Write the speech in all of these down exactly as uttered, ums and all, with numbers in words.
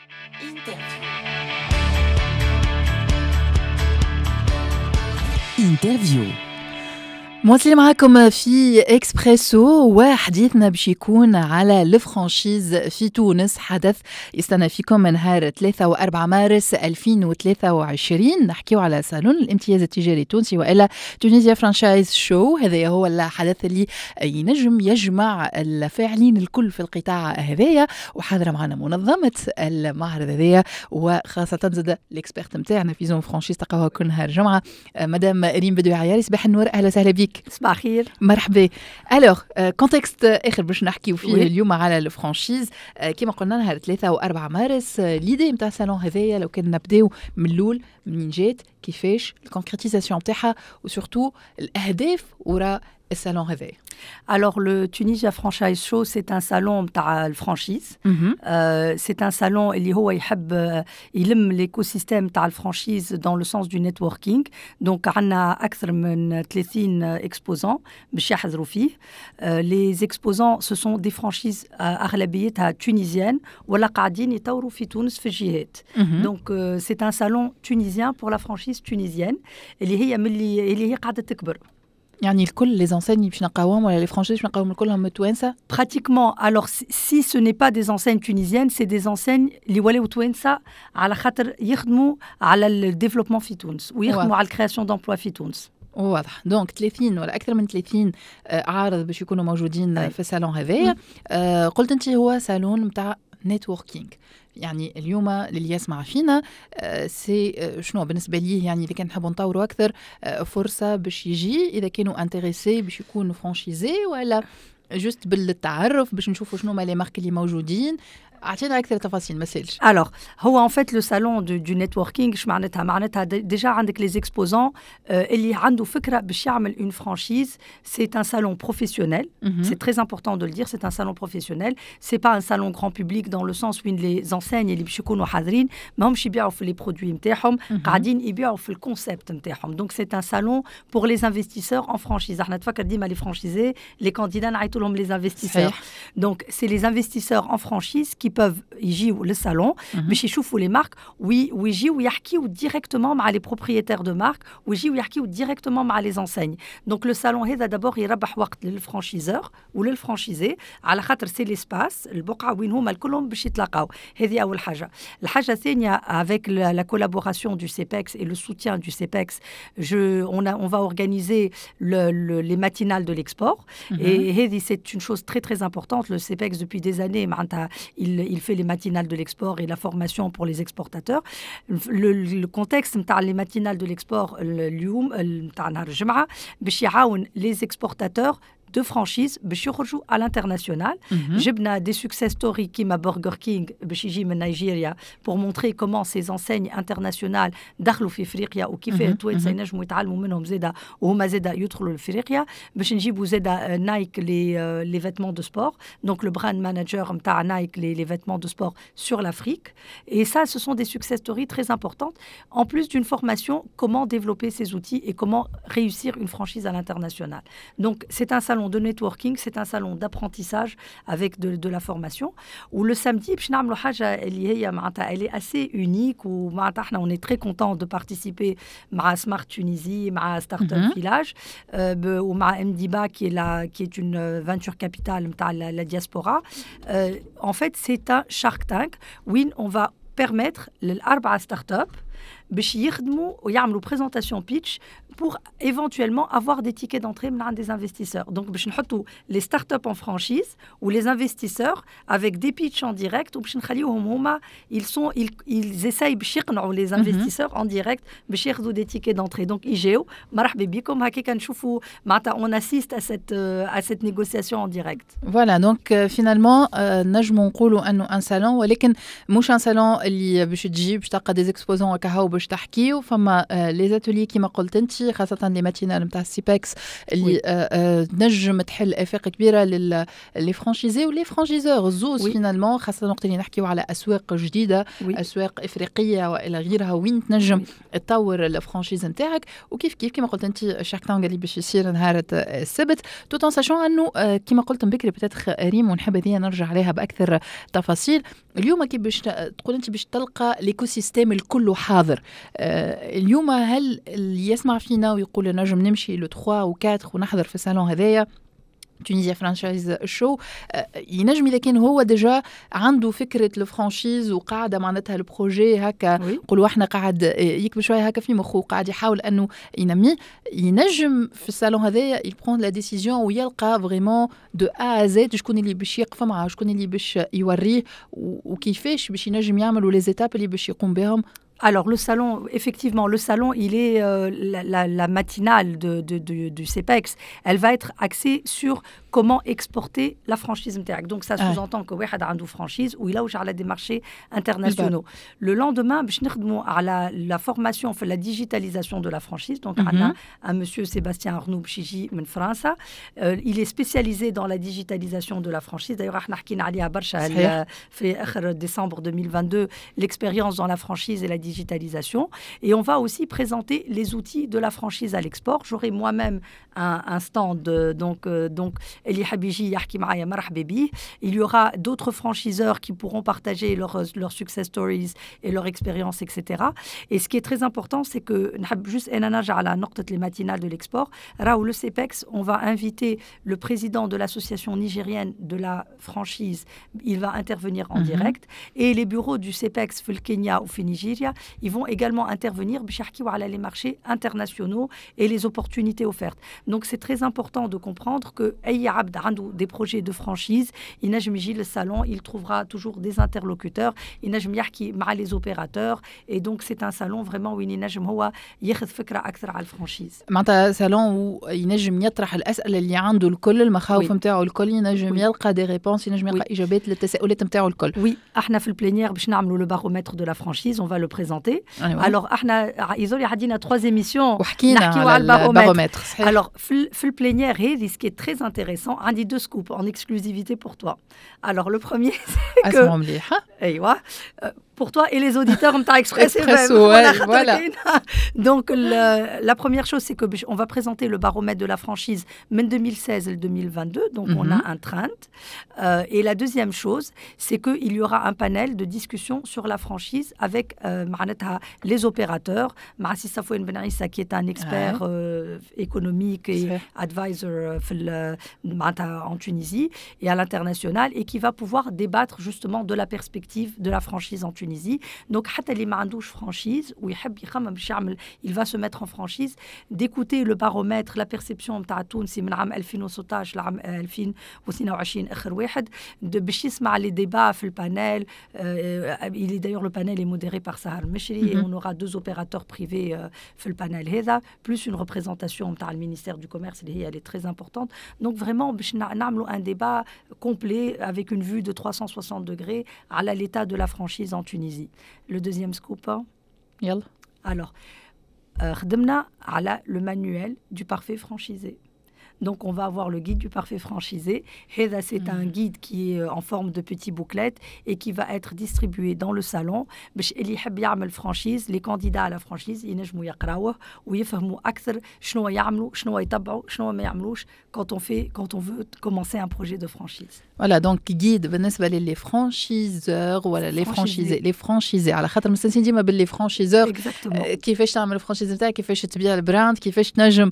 Interview. Interview. مواصلين معكم في اكسبريسو، وحديثنا باش يكون على ال franchise في تونس، حدث يستنى فيكم من نهار ثلاثة وأربعة مارس ألفين وثلاثة وعشرين. نحكيو على صالون الامتياز التجاري التونسي والا Tunisia Franchise Show. هذا هو الحدث اللي ينجم يجمع الفاعلين الكل في القطاع هذايا، وحاضره معنا منظمة المعرض هذايا وخاصة زاد l'experte نتاعنا في zone franchise، تلقاوها كل نهار جمعه، مدام ريم بدوي عياري. صباح النور، اهلا وسهلا بك. صباح الخير. مرحبا. alors contexte اخر باش نحكيو فيه oui. اليوم على ال franchise، كما قلنا نهار ثلاثة وأربعة مارس. l'idée نتاع الصالون هذايا، لو كان نبداو من الاول، منين جات، كيفاش ال concrétisation نتاعها، و surtout الاهداف وراء الصالون هذايا؟ Alors, le Tunisia Franchise Show, c'est un salon متاع ال franchise. Mm -hmm. euh, c'est un salon اللي هو يحب يلم l'écosystème تاع ال franchise dans le sens du networking. Donc, عندنا أكثر من ثلاثين exposants باش يحضروا فيه. Euh, les exposants, ce sont des franchises أغلبيتها tunisiennes ولا قاعدين يطوروا في تونس في الجهات. Mm -hmm. Donc, euh, c'est un salon tunisien pour la franchise tunisienne اللي هي ملي اللي هي قاعدة تكبر. يعني الكل les enseignes باش نلقاوهم ولا les franchises باش نلقاوهم كلهم توانسه؟ Pratiquement. Alors, si ce n'est pas des enseignes tunisiennes, c'est des enseignes اللي ولاو توانسة على خاطر يخدموا على ال développement في تونس ويخدموا على ال création d'emplois في تونس. واضح. donc ثلاثين ولا اكثر من ثلاثين عارض باش يكونوا موجودين أي. في الصالون هذايا. آه قلت انت هو صالون نتاع networking، يعني اليوم للي يسمع فينا c'est شنو بالنسبة ليه؟ يعني اذا كان نحبوا نطوروا اكثر، فرصة باش يجي اذا كانوا intéressés باش يكونوا franchisés، ولا juste بالتعرف باش نشوفوا شنو ما les marques اللي موجودين؟ اعطينا اكثر تفاصيل ما سالش. Alors, هو en fait le salon du, du networking، اش معناتها؟ معناتها déjà عندك les exposants اللي عنده فكرة باش يعمل une franchise. C'est un salon professionnel, c'est très important de le dire, c'est un salon professionnel, c'est pas un salon grand public dans le sens où les enseignes اللي باش يكونوا حاضرين ماهمش يبيعوا في les produits نتاعهم، قاعدين يبيعوا في ال concept نتاعهم. donc c'est un salon pour les investisseurs en franchise. احنا تفكر ديما les franchisés, les candidats نعيطوا لهم les investisseurs. donc c'est les investisseurs en franchise qui peuvent يجيو للصالون باش يشوفوا les marques ويجيو ويحكيو directement مع les propriétaires de marques ويجيو يحكيو directement مع les enseignes. donc le salon هذا d'abord يربح وقت لل franchiseur ولل franchisé على خاطر c'est l'espace، البقعة وين هما الكلهم باش يتلاقاو. هذه اول حاجه. الحاجة الثانيه، avec la collaboration du CEPEX et le soutien du CEPEX, je, on, a, on va organiser le, le, les matinales de l'export. Mm -hmm. Et هذه c'est une chose très très importante. Le CEPEX, depuis des années, معناتها il, il fait les matinales de l'export et la formation pour les exportateurs. Le, le contexte نتاع les matinales de l'export اليوم نتاع نهار الجمعة باش يعاون les exportateurs de franchise باش يخرجوا à l'international. جبنا des success stories كيما Burger King باش يجي من نيجيريا pour montrer comment ces enseignes internationales دخلوا في افريقيا وكيفاه التوانسة ينجموا يتعلموا منهم زاده وهما زاده يدخلوا لافريقيا. باش نجيبوا زاده Nike les les vêtements de sport, donc le brand manager نتاع Nike les les vêtements de sport sur l'Afrique. et ça, ce sont des success stories très importantes, en plus d'une formation comment développer ces outils et comment réussir une franchise à l'international. donc c'est un salon de networking, c'est un salon d'apprentissage avec de, de la formation. و le samedi, باش نعملوا حاجة اللي هي معناتها elle est assez unique ومعناتها احنا on est très content de participer مع Smart Tunisie، مع Startup Village ومع MDIBA qui est la qui est une venture capital نتاع la, la diaspora. Euh, en fait, c'est un Shark Tank où on va permettre للأربعة start-up باش يخدموا ويعملوا présentation pitch pour éventuellement avoir des tickets d'entrée من عند des investisseurs. Donc باش نحطوا les startups en franchise ou les investisseurs avec des pitchs en direct وباش نخليوهم هما ils sont ils, ils essayent باش يقنعوا les investisseurs en direct باش ياخذوا des tickets d'entrée. Donc يجيو، مرحبا بكم، هكاك نشوفوا معناتها on assiste à cette à cette négociation en direct. Voilà, donc finalement نجموا نقولوا انه un salon، ولكن مش un salon اللي باش تجي باش تلقى des exposants. كهو باش تحكيو، فما les ateliers كيما قلت انت، خاصة les matinales نتاع ال CEPEX اللي تنجم تحل افاق كبيرة لل les franchisés و les franchiseurs زوز finalement، خاصة وقت اللي نحكيو على اسواق جديده، oui. اسواق افريقية والى غيرها وين تنجم تطور ال franchise نتاعك. وكيف كيف كيما قلت انت Shark Tank اللي باش يصير نهار السبت، tout en sachant انه كيما قلت من بكري peut-être ريم، ونحب هذه نرجع عليها باكثر تفاصيل، اليوم كي باش تقول انت باش تلقى l'écosystème الكل حاضر. اليوم هل اللي يسمع فينا ويقول نجم نمشي le ثلاثة و أربعة ونحضر في الصالون هذايا Tunisia Franchise Show، ينجم اذا كان هو déjà عنده فكرة ال franchise وقاعدة معناتها ال projet هكا، نقولوا احنا قاعد يكبر شوية هكا في مخه وقاعد يحاول انه ينميه، ينجم في الصالون هذايا il prend la décision ويلقى vraiment de A à Z شكون اللي باش يقف معاه، شكون اللي باش يوريه وكيفاش باش ينجم يعمل les étapes اللي باش يقوم بهم؟ Alors le salon, effectivement, le salon, il est euh, la, la, la matinale de, de, de, du CEPEX, elle va être axée sur comment exporter la franchise نتاعك. Donc ça sous-entend que واحد عنده franchise ويلوج على des marchés internationaux. Le lendemain, باش نخدموا على la formation في la digitalisation de la franchise. Donc عندنا un monsieur Sébastien Arnoux باش يجي من فرنسا. Euh, il est spécialisé dans la digitalisation de la franchise. D'ailleurs احنا حكينا عليها برشا في اخر décembre deux mille vingt-deux, l'expérience dans la franchise et la digitalisation. Et on va aussi présenter les outils de la franchise à l'export. J'aurai moi-même un, un stand, donc, euh, donc اللي يحب يجي يحكي معايا مرحبا بيه. Il y aura d'autres franchiseurs qui pourront partager leurs leurs success stories et leur expérience, et cetera. Et ce qui est très important, c'est que نحب juste أنا نرجع على نقطة les matinales de l'export. راهو le CEPEX, on va inviter le président de l'association nigérienne de la franchise. Il va intervenir en mm -hmm. direct. Et les bureaux du CEPEX في الكينيا وفي نيجيريا, ils vont également intervenir باش يحكيو على les marchés internationaux et les opportunités offertes. Donc c'est très important de comprendre que أي عبد عنده des projets de franchise ينجم يجي لل salon, il trouvera toujours des interlocuteurs, ينجم يحكي مع les opérateurs et donc c'est un salon vraiment وين ينجم هو ياخذ فكرة أكثر على ال franchise. معناتها صالون ينجم يطرح الأسئلة اللي عنده الكل، المخاوف نتاعو الكل، ينجم يلقى des réponses، ينجم يلقى إجابات للتساؤلات نتاعو الكل. oui، احنا في ال plénière باش نعملوا le baromètre de la franchise, on va le présenter. Alors احنا يزولي عدينا trois émissions وحكينا على ال baromètre. Alors في في ال plénière هذه، ce qui est très intéressant، عندي deux scoops en exclusivité pour toi. Alors le premier, c'est que مليحة. ايوه، pour toi et les auditeurs نتاع Express F M. Ouais, voilà. Donc le, la première chose, c'est que on va présenter le baromètre de la franchise من deux mille seize ل deux mille vingt-deux, donc mm -hmm. on a un trend. Euh, et la deuxième chose, c'est qu'il y aura un panel de discussion sur la franchise avec euh, معناتها les opérateurs, مع سي Safouane Ben Issa qui est un expert ouais. euh, économique et advisor في معناتها en Tunisie et à l'international et qui va pouvoir débattre justement de la perspective de la franchise en Tunisie. Donc حتى اللي ما عندوش franchise ويحب يخمم باش يعمل، il va se mettre en franchise, d'écouter le baromètre, la perception نتاع التونسي من عام ألفين وستاش لعام ألفين واثنين وعشرين اخر واحد، باش يسمع les débats في ال panel. Il est d'ailleurs, le panel est modéré par Sahar Mechri mm -hmm. et on aura deux opérateurs privés في ال panel هذا, plus une représentation نتاع ال ministère du commerce اللي هي elle est très importante. Donc vraiment باش نعملوا un débat complet avec une vue de trois cent soixante degrés على l'état de la franchise en Tunisie. Le deuxième scoop. يلا. Alors, خدمنا على le manuel du parfait franchisé. Donc, on va avoir le guide du parfait franchisé. هذا c'est un guide qui est en forme de petit booklet et qui va être distribué dans le salon. باش اللي يحب يعمل franchise, les candidats à la franchise ينجموا يقراوه ويفهموا أكثر شنو يعملوا، شنو يتبعوا، شنو ما يعملوش quand on fait quand on veut commencer un projet de franchise. Voilà, donc guide بالنسبة ل les franchiseurs ولا les franchisés, les franchisés، على خاطر مستانسين ديما بال les franchiseurs، كيفاش تعمل ال franchise نتاعك، كيفاش تبيع ال brand، كيفاش تنجم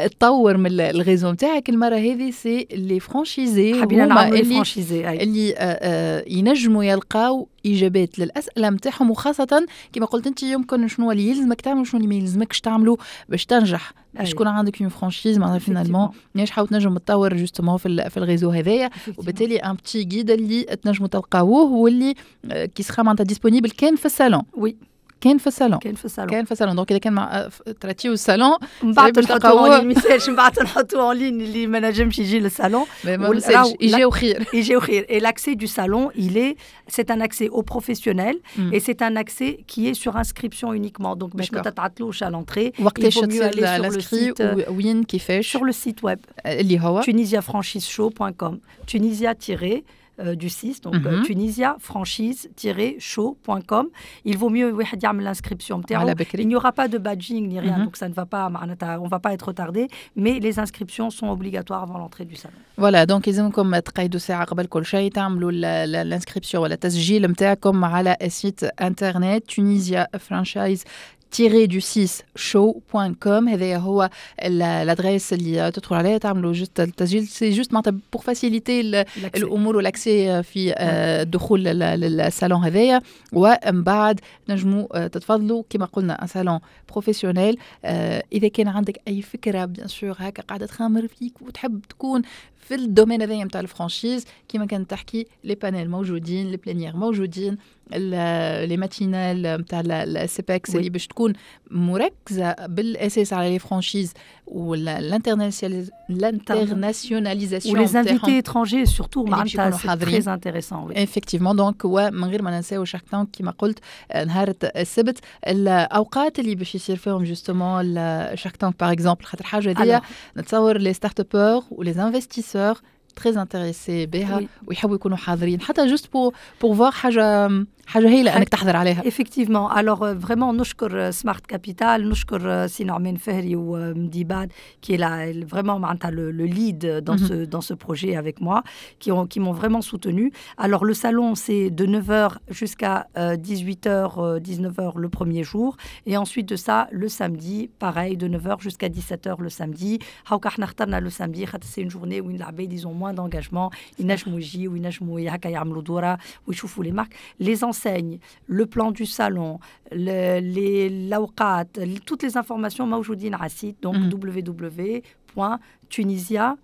تطور من ال réseau نتاعك. المرة هذه c'est les franchisés. حبينا نعملوا اللي franchisés اللي ينجموا يلقاو اجابات للاسئلة نتاعهم، وخاصة كما قلت انت يمكن شنو اللي يلزمك تعمل، شنو اللي ما يلزمكش تعملوا باش تنجح، باش تكون عندك une franchise معناها finalement ناجحة وتنجم تطور justement في, في ال réseau هذايا. وبالتالي un petit guide اللي تنجموا تلقاوه واللي qui sera معناتها disponible كان في ال salon. oui. كان في الصالون. كان في الصالون. كان في الصالون، donc اذا كان مع تراتيو الصالون من بعد نحطوه en ligne، ميسالش، من بعد نحطوه en ligne اللي ما نجمش يجي للصالون. يجيو خير. يجيو خير. Et l'accès du salon, il est c'est un accès aux professionnels mm. et c'est un accès qui est sur inscription uniquement. Donc باش ما تتعطلوش à l'entrée. وقتاش تصير l'inscrit؟ وين؟ كيفاش؟ Sur le site web اللي هو tunisiafranchiseshow point com, tunisia du six, donc mm -hmm. tunisia franchise-show point com. Il vaut mieux واحد يعمل l'inscription نتاعو. Il n'y aura pas de badging ni rien, mm -hmm. donc ça ne va pas معناتها on va pas être retardé, mais les inscriptions sont obligatoires avant l'entrée du salon. Voilà, donc يلزمكم تقيدوا ساعة قبل كل شيء، تعملوا l'inscription ولا التسجيل نتاعكم على site internet tunisia franchise du six show point com. هذا هو l'adresse اللي تدخل عليها، تعملوا juste التسجيل، c'est juste معناتها pour faciliter الامور و l'accès في الدخول للصالون هذايا، ومن بعد نجموا تتفضلوا. كما قلنا un salon professionnel. اذا كان عندك اي فكره bien sûr هكا قاعده تخمر فيك وتحب تكون في ال domaine هذايا نتاع ال franchise، كيما كانت تحكي، les panels موجودين، les plénières موجودين، les matinales نتاع ال C P E X اللي باش تكون مركزه بالاساس على les franchises و l'internationalisation و les invités étrangers surtout، معناتها c'est très intéressant. Effectivement. Donc ومن غير ما ننساو Shark Tank كيما قلت نهار السبت. الاوقات اللي باش يصير فيهم justement ال Shark Tank par exemple، خاطر حاجه هذيا نتصور les startuppeurs و les investisseurs très intéressés بها ويحبوا يكونوا حاضرين حتى juste pour pour voir، حاجه حاجه هايله انك تحضر عليها. Effectivement. Alors vraiment نشكر Smart Capital، نشكر سي نعمان فهري ومديباد qui est là vraiment معناتها le, le lead dans mm -hmm. ce dans ce projet avec moi, qui ont qui m'ont vraiment soutenu. Alors le salon, c'est de neuf heures jusqu'à dix-huit heures, dix-neuf heures le premier jour et ensuite de ça le samedi, pareil, de neuf heures jusqu'à dix-sept heures le samedi. هاوكا احنا اخترنا le samedi خاطر c'est une journée où العباد ils ont moins d'engagement، ينجموا يجيو وينجموا هكا يعملوا دوره ويشوفوا les marques, les enseignes, le plan du salon, le, les الأوقات, toutes les informations موجودين على ال site, donc mm -hmm. w w w point tunisia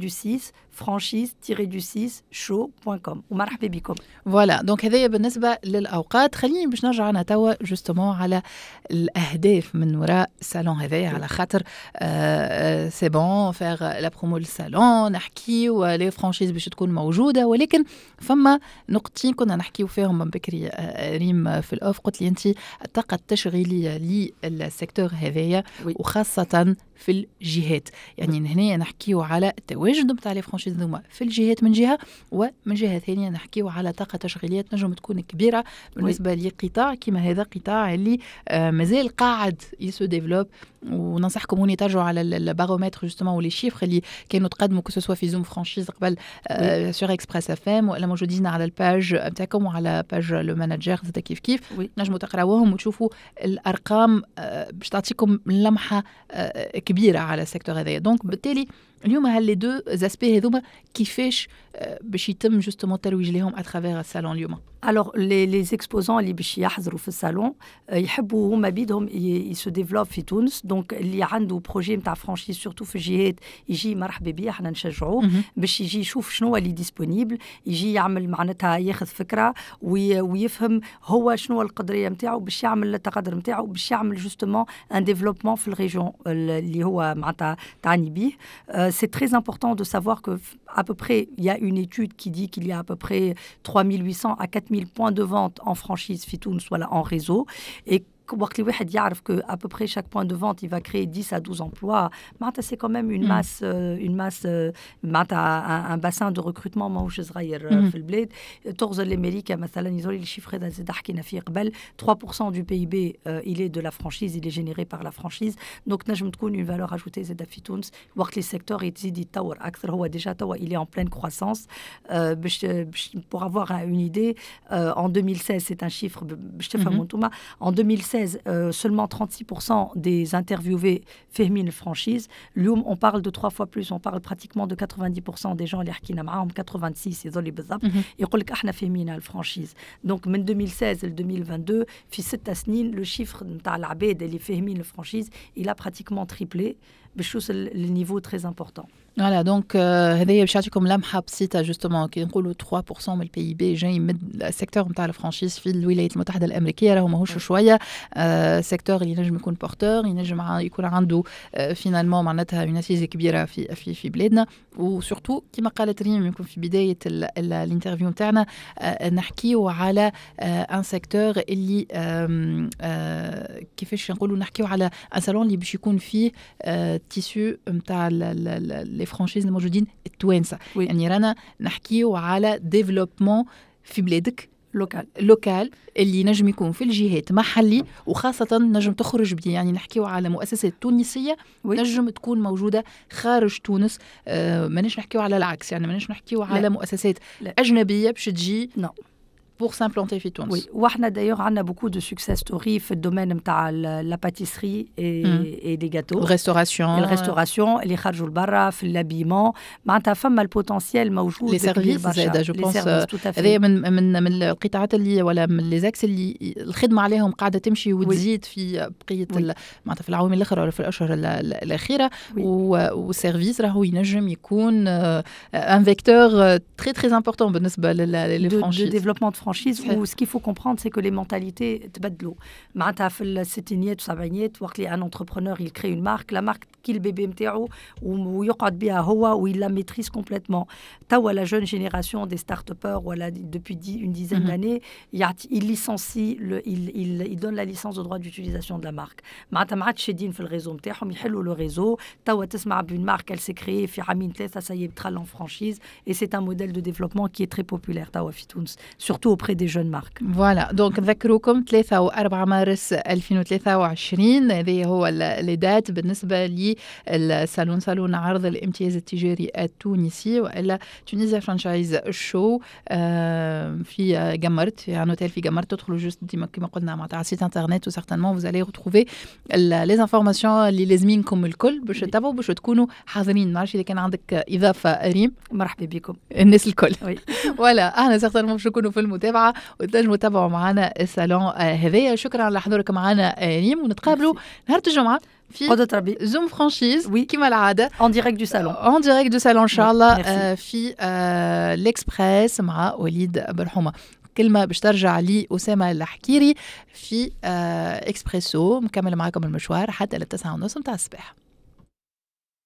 du six franchise du six show point com ومرحبا بكم. Voilà, donc هذايا بالنسبه للاوقات. خليني باش نرجع انا توا justement على الاهداف من وراء الصالون هذايا، على خاطر c'est bon faire la promo لل salon، نحكيو les franchises باش تكون موجوده، ولكن فما نقطتين كنا نحكيو فيهم من بكري ريم في ال off. قلت لي انت الطاقه التشغيليه لل secteur هذايا وخاصه في الجهات، يعني هنا نحكيو على التواجد نتاع les franchises هذوما في الجهات من جهه، ومن جهه ثانيه نحكيو على طاقه تشغيليه تنجم تكون كبيره بالنسبه لقطاع كما هذا، قطاع اللي آه مازال قاعد il se développe. وننصحكم هوني ترجعوا على ال baromètre justement و les chiffres اللي كانوا تقدموا، que ce soit في Zoom Franchise قبل sur Express F M ولا موجودين على ال page نتاعكم وعلى page Le Manager زاد كيف كيف، نجموا تقراوهم وتشوفوا الارقام باش تعطيكم لمحه كبيره على ال secteur هذايا. Donc بالتالي اليوم هال les deux aspects هذوما كيفاش باش يتم justement الترويج لهم à travers ال salon اليوم؟ Alors les les exposants اللي باش يحضروا في الصالون يحبوا هما بيدهم ils se développent في تونس، donc اللي عنده projet نتاع franchise surtout في الجهات يجي مرحبا بيه، احنا نشجعوه باش يجي يشوف شنو اللي disponible، يجي يعمل معناتها ياخذ فكره ويفهم هو شنو القدريه نتاعو باش يعمل التقدر نتاعو باش يعمل justement un développement في ال région اللي هو معناتها تعني بيه. C'est très important de savoir que à peu près, il y a une étude qui dit qu'il y a à peu près trois mille huit cents à quatre mille points de vente en franchise في تونس ولا en réseau, et وقت اللي واحد يعرف que à peu près chaque point de vente il va créer dix à douze emplois، معناتها c'est quand même une masse une masse معناتها un bassin de recrutement ماهوش صغير في البلاد. تغزر لامريكا مثلا، يظهر les chiffres هذا زاد حكينا فيه قبل، trois pour cent du P I B il est de la franchise, il est généré par la franchise. Donc نجم تكون une valeur ajoutée زاد في تونس وقت اللي ال secteur يزيد يتطور اكثر. هو déjà توا il est en pleine croissance. باش باش pour avoir une idée, en deux mille seize, c'est un chiffre باش تفهموا انتوما، en deux mille seize euh, seulement trente-six pour cent des interviewés فاهمين franchise. اليوم on parle de trois fois plus, on parle pratiquement de quatre-vingt-dix pour cent des gens اللي حكينا معاهم، quatre-vingt-six يظل بالضبط، يقول لك احنا فاهمين ال franchise. Donc من deux mille seize ل deux mille vingt-deux، في ست سنين، le chiffre نتاع العباد اللي فاهمين ال franchise il a pratiquement triplé. باش توصل لل niveau très important. voilà، donc هذايا باش يعطيكم لمحه بسيطه، justement كي نقولوا ثلاثة في المية من ال PIB جاي من ال secteur نتاع ال franchise في الولايات المتحدة الامريكيه، راهو ماهوش شويه، secteur اللي ينجم يكون porteur، ينجم يكون عنده finalement معناتها une assise كبيرة في في في بلادنا. و surtout كما قالت ريم يمكن في بداية ال interview نتاعنا، نحكيو على un secteur اللي كيفاش نقولوا، نحكيو على un salon اللي باش يكون فيه tissu نتاع les franchises الموجودين التوانسه. يعني رانا نحكيو على développement في بلادك local. local اللي نجم يكون في الجهات محلي، وخاصة نجم تخرج بي، يعني نحكيو على مؤسسات تونسية oui. نجم تكون موجودة خارج تونس. آه مانيش نحكيو على العكس، يعني مانيش نحكيو على مؤسسات لا. أجنبية باش تجي non. pour s'implanter في تونس. Oui، واحنا d'ailleurs عندنا beaucoup de success stories في ال domaine نتاع la pâtisserie et et les gâteaux. restauration. ال restauration اللي خرجوا لبرا، في l'habillement، معناتها فما ال potentiel موجود. les services زاد je pense، هذا من من من القطاعات اللي ولا من les axes اللي الخدمة عليهم قاعدة تمشي وتزيد في بقية معناتها في العوامل الاخرى ولا في الاشهر الاخيره. وال service راهو ينجم يكون un vecteur très très important بالنسبة لل franchises. développement de franchise. و ce qu'il faut comprendre، c'est que les mentalités تبدلوا. معناتها في الستينيات والسبعينيات، وقت اللي un entrepreneur il crée une marque، la marque كي ال bébé نتاعو ويقعد بها هو و il la maîtrise complètement. توا la jeune génération des start-upers، ولا depuis une dizaine mm -hmm. d'années، il licencie le, il, il, il donne la licence de droit d'utilisation de la marque. معناتها ما عادش شادين في ال réseau نتاعهم، يحلوا le réseau. توا تسمع ب une marque elle s'est créée في عامين ثلاثه، ça y est دخل en franchise، et c'est un modèle de développement qui est très populaire توا في تونس، surtout auprès des jeunes marques. voilà، donc نذكروكم ثلاثة و أربعة مارس ألفين وثلاثة وعشرين، هذه هو les dates بالنسبة للصالون، صالون عرض الامتياز التجاري التونسي والا Tunisia Franchise Show في قمرت، في un hôtel في قمرت. تدخلوا juste ديما كما قلنا معناتها على site internet و certainement vous allez retrouver les informations اللي لازمينكم الكل باش تتابعوا، باش تكونوا حاضرين. ما نعرفش اذا كان عندك اضافه ريم. مرحبا بكم. الناس الكل. oui. voilà، احنا certainement باش نكونوا في المتابعة وتنجموا تتابعوا معنا الصالون هذايا. شكرا على حضورك معنا ريم، ونتقابلوا نهار الجمعة في قدرة ربي Zoom Franchise. oui. كما العاده. en direct du salon. en direct du salon ان شاء الله في الاكسبريس مع وليد برحومه. كلمة باش ترجع لي أسامة الحكيري في إكسبريسو، مكمل معكم المشوار حتى للتسعة ونص متاع الصباح.